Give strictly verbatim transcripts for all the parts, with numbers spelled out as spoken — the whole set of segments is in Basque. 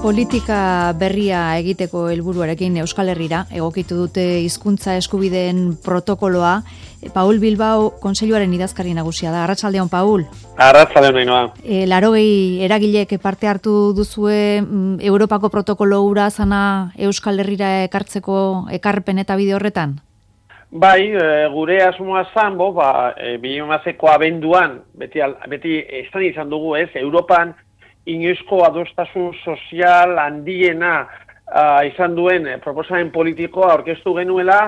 Politika berria egiteko helburuarekin Euskal Herrira egokitu dute hizkuntza eskubideen protokoloa. Paul Bilbao Kontseiluaren idazkari nagusia da. Arratsaldeon, Paul. Arratsaldeon, Ainhoa. E, larogei eragilek parte hartu duzue mm, Europako protokolo hura zana Euskal Herrira ekartzeko ekarpen eta bide horretan? Bai, e, gure asmoa zan, bo, ba, e, bi mila hamazazpiko abenduan, beti, beti estan izan dugu ez, Europan inoizko adostasun sozial handiena uh, izan duen eh, proposamen politikoa aurkeztu genuela,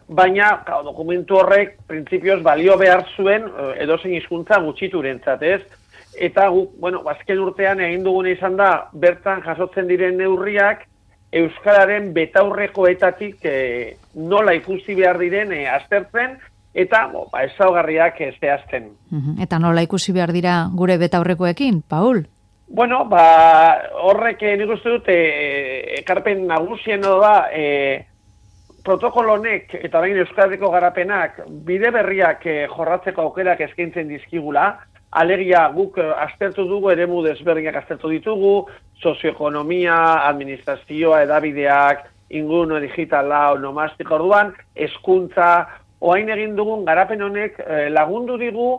baina ka, dokumentu horrek printzipioz balio behar zuen uh, edozein hizkuntza gutxiturentzat, ez? Eta guk, bueno, azken urtean egin duguna izan da, bertan jasotzen diren neurriak euskararen betaurrekoetatik eh, nola ikusi behar diren eh, aztertzen, eta bo, ba, ezaugarriak eh, zehazten. Uh-huh. Eta nola ikusi behar dira gure betaurrekoekin, Paul? Bueno, ba, horrek nik uste dut, e, ekarpen nagusien da, e, protokolonek eta orain euskaradiko garapenak bide berriak e, jorratzeko aukerak eskaintzen dizkigula, alegia guk aztertu dugu, eremu desberdinak aztertu ditugu, sozioekonomia, administrazioa, edabideak, ingurune digitala, onomastiko orduan, hezkuntza, orain egin dugun garapen honek e, lagundu digu,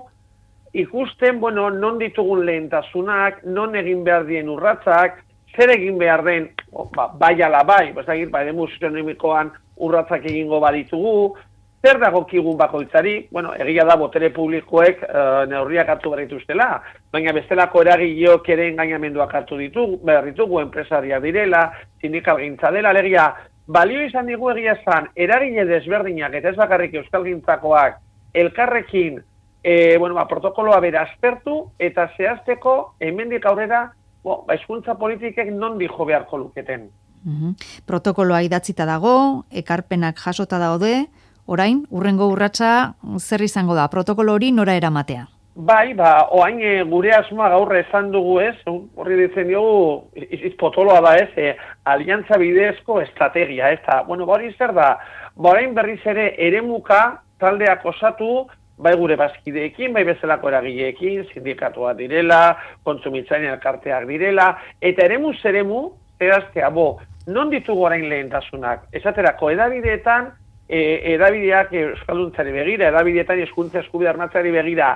ikusten, bueno, non ditugun lehentasunak, non egin behar dien urratzak, zer egin behar den, ba, bai ala bai, bezagir, bai, demu sozioekonomikoan urratzak egingo baditugu, zer dagokigun bakoitzari, bueno, egia da botere publikoek e, neurriak hartu behar dituztela, baina bestelako eragileok ere engainamenduak hartu ditugu, behar ditugu, enpresariak direla, sindikalgintza dela, alegia, balio izan digu egia zan, eragile desberdinak, eta ez bakarrik euskalgintzakoak, elkarrekin, E, bueno, ba, protokoloa bera aztertu eta zehazteko hemendik aurrera bo, ba, hizkuntza politikek non dijo beharko luketen. Uh-huh. Protokoloa idatzita dago, ekarpenak jasota daude, orain, urrengo urratsa zer izango da, protokolo hori nora eramatea? Bai, ba, oain e, gure asmoa gaur esan dugu ez, horri ditzen diogu, iz potoloa da ez, e, aliantza bidezko estrategia, ez da, bueno, ba, hori zer da, ba, orain berriz ere eremuka taldeak osatu, bai gure bazkideekin, bai bezalako eragileekin, sindikatua direla, kontsumitzaileen elkarteak direla, eta eremu zeremu, zehaztea, bo, non ditugu orain lehentasunak? Esaterako, edabideetan, e, edabideak euskalduntzari begira, edabideetan hizkuntza eskubidea armatzeari begira,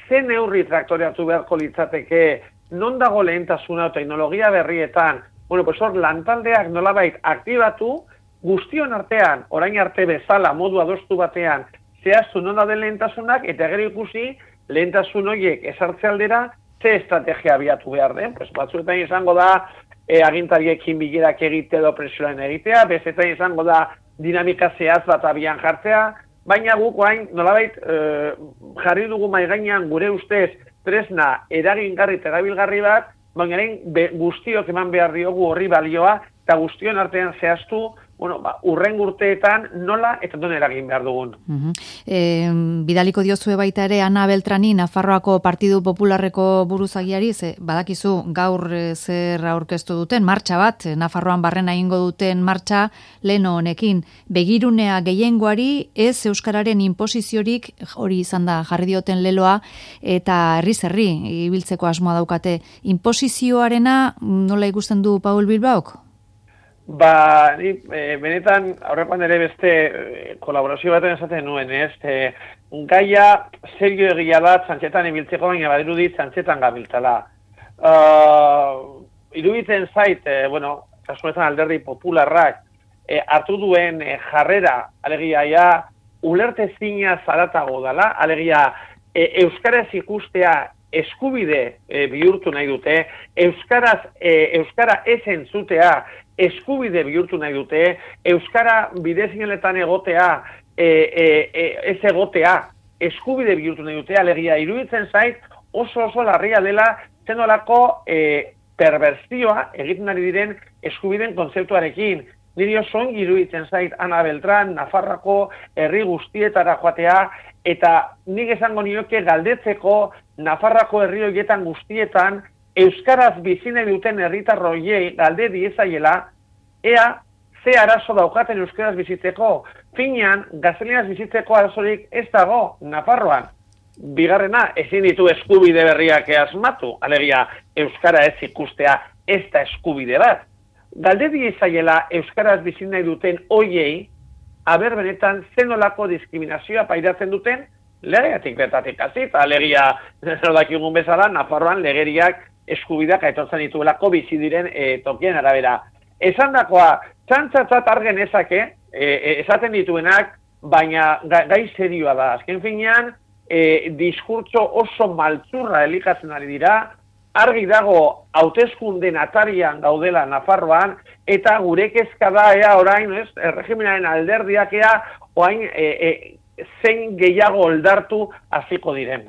ze neurri traktoreatu beharko litzateke, non dago lehentasuna teknologia berrietan, bueno, pues hor, lantaldeak nolabait aktibatu, guztion artean, orain arte bezala, modu adostu batean, zehaztu non da den lehentasunak, eta gero ikusi lehentasun horiek esartze aldera, ze estrategia abiatu behar den. Pues, batzuetan izango da, e, agintariekin bilerak egite edo presioaren egitea, bezetan izango da dinamika zehaz bat abian jartzea, baina guk orain nolabait e, jarri dugu mahai gainean gure ustez tresna eragingarri eta erabilgarri bat, baina guztiok eman behar diogu horri balioa, eta guztion artean zehaztu, bueno, ba, urren urteetan nola eta non eragin behar dugun. Uh-huh. E, bidaliko diozue baita ere Ana Beltrani, Nafarroako Partidu Popularreko buruzagiari, ze badakizu gaur zer aurkeztu duten, martxa bat, Nafarroan barrena egingo duten martxa leno honekin. Begirunea gehiengoari ez euskararen inposiziorik hori izan da jarri dioten leloa, eta herriz herri ibiltzeko asmoa daukate. Inposizioarena nola ikusten du Paul Bilbaok? Ba, ni, e, benetan, aurrekoan ere beste e, kolaborazio baten esaten nuen, ez? E, gaia serio egia da, txantxetan ibiltzeko, baina badirudi txantxetan gabiltzala. Uh, iruditzen zait, e, bueno, kasunetan alderdi popularrak, e, hartu duen e, jarrera, alegia, ja, ulertezina zaratago dela, alegia, e, euskaraz ikustea eskubide e, bihurtu nahi dute, euskaraz, e, euskara ez entzutea, eskubide bihurtu nahi dute, euskara bidezineletan egotea, e, e, e, ez egotea, eskubide bihurtu nahi dute, alegia, iruditzen zait, oso oso larria dela, zenolako e, perversioa egiten ari diren eskubideen kontzeptuarekin. Niri oso ongi iruditzen zait Ana Beltran, Nafarroako herri guztietara joatea, eta nik esango nioke galdetzeko Nafarroako herri horietan guztietan, euskaraz bizine duten herritarroiei galde diezaiela, ea ze arazo daukaten euskaraz bizitzeko. Finean, gaztelianaz bizitzeko arazorik ez dago Nafarroan. Bigarrena, ezin ditu eskubide berriak asmatu, alegia euskara ez ikustea ez da eskubide bat. galde diezaiela euskaraz bizin nahi duten hoiei, aber benetan zenolako diskriminazioa pairatzen duten, legeatik betatik hasi, eta legia, dakigun bezala, Nafarroan legeriak eskubidak aitortzen dituelako bizi diren e, tokien arabera. Esan dakoa, txantzatzat argen ezake, e, esaten dituenak, baina gai serioa da. Azken finean, e, diskurtso oso maltzurra elikatzen ari dira, argi dago hauteskunden atarian gaudela Nafarroan, eta gure kezka da ea orain, ez, erregimenaren alderdiak ea, orain e, e, zein gehiago oldartu hasiko diren.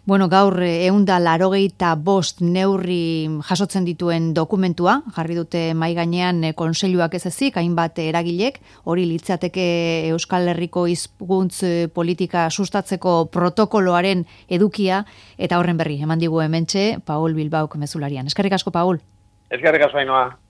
Bueno, gaur ehunda laurogeita bost neurri jasotzen dituen dokumentua, jarri dute mahai gainean kontseiluak ez ezik, hainbat eragilek, hori litzateke Euskal Herriko hizkuntz politika sustatzeko protokoloaren edukia, eta horren berri, eman digu hementxe, Paul Bilbaok mezularian. Eskerrik asko, Paul. Eskerrik asko, Ainhoa.